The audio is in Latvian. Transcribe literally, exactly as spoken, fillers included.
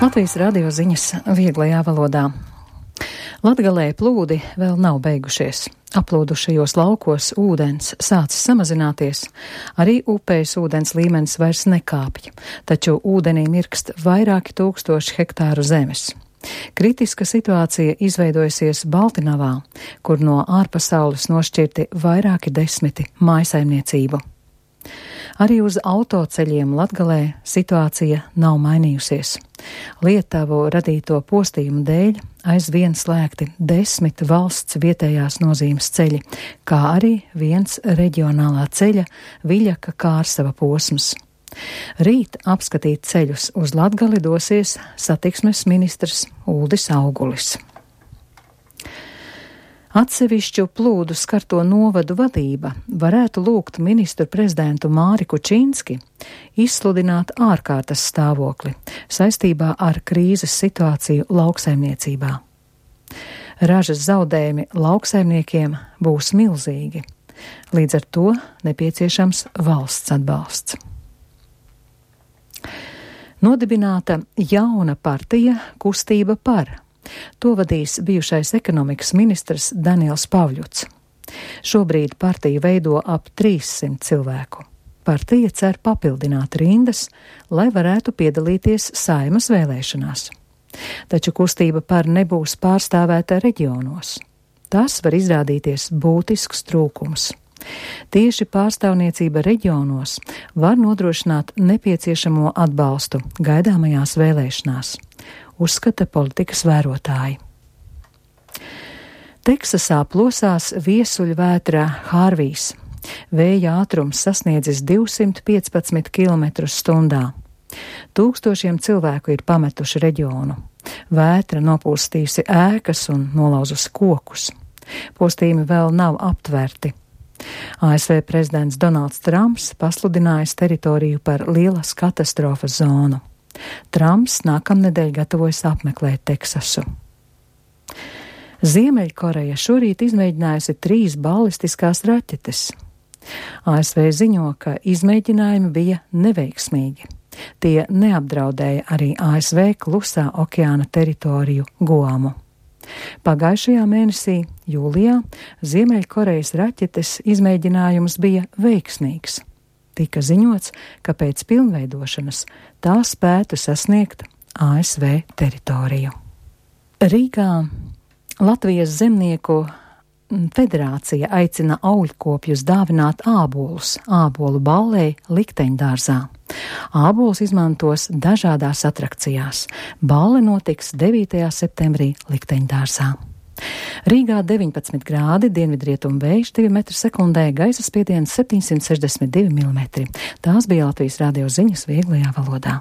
Latvijas radio ziņas vieglajā valodā. Latgalē plūdi vēl nav beigušies. Aplūdušajos laukos ūdens sācis samazināties, arī upēs ūdens līmenis vairs nekāpj, taču ūdenī mirkst vairāki tūkstoši hektāru zemes. Kritiska situācija izveidojusies Baltinavā, kur no ārpasaules nošķirti vairāki desmiti mājsaimniecību. Arī uz autoceļiem Latgalē situācija nav mainījusies. Lietuvu radīto postījumu dēļ aizvien slēgti desmit valsts vietējās nozīmes ceļi, kā arī viens reģionālā ceļa Viļaka Kārsava posms. Rīt apskatīt ceļus uz Latgali dosies satiksmes ministrs Uldis Augulis. Atsevišķu plūdu skarto novadu vadība varētu lūgt ministru prezidentu Māri Kučinski izsludināt ārkārtas stāvokli saistībā ar krīzes situāciju lauksaimniecībā. Ražas zaudējumi lauksaimniekiem būs milzīgi, līdz ar to nepieciešams valsts atbalsts. Nodibināta jauna partija Kustība par. To vadīs bijušais ekonomikas ministrs Daniels Pavļuts. Šobrīd partiju veido ap trīssimt cilvēku. Partija cer papildināt rindas, lai varētu piedalīties Saeimas vēlēšanās. Taču Kustība par nebūs pārstāvēta reģionos. Tas var izrādīties būtisks trūkums. Tieši pārstāvniecība reģionos var nodrošināt nepieciešamo atbalstu gaidāmajās vēlēšanās, uzskata politikas vērotāji. Teksasā plosās viesuļvētra Hārvijs. Vēja ātrums sasniedzis divsimt piecpadsmit kilometrus stundā. Tūkstošiem cilvēku ir pametuši reģionu. Vētra nopūstījusi ēkas un nolauzusi kokus. Postījumi vēl nav aptverti. A S V prezidents Donalds Trumps pasludinājis teritoriju par lielas katastrofas zonu. Trumps nākamnedēļ gatavojas apmeklēt Teksasu. Ziemeļkoreja šorīt izmēģinājusi trīs balistiskās raķetes. A S V ziņo, ka izmēģinājumi bija neveiksmīgi. Tie neapdraudēja arī A S V klusā okeāna teritoriju Guamu. Pagājušajā mēnesī, jūlijā, Ziemeļkorejas raķetes izmēģinājums bija veiksmīgs. Tika ziņots, ka pēc pilnveidošanas tā spētu sasniegt A S V teritoriju. Rīgā Latvijas zemnieku federācija aicina augļkopjus dāvināt ābolus ābolu ballei likteņdārzā. Ābolus izmantos dažādās atrakcijās. Balle notiks devītajā septembrī likteņdārzā. Rīgā deviņpadsmit grādi, dienvidrietumu vējš divi metri sekundē, gaisa spiediens septiņsimt sešdesmit divi milimetri. Tās bija Latvijas radio ziņas vieglajā valodā.